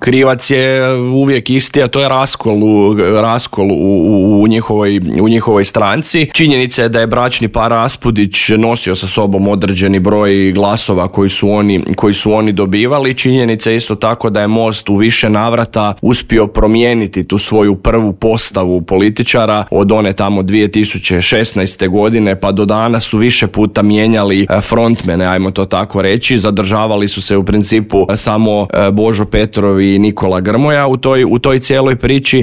Krivac je uvijek isti, a to je raskol u njihovoj stranci. Činjenica je da je bračni par Raspudić nosio sa sobom određeni broj glasova koji su oni dobivali. Činjenica je isto tako da je Most u više navrata uspio promijeniti tu svoju prvu postavu političara od one tamo 2016. godine pa do danas su više puta mijenjali frontmene, ajmo to tako reći. Zadržavali su se u principu samo Božo Petrov i Nikola Grmoja u toj cijeloj priči.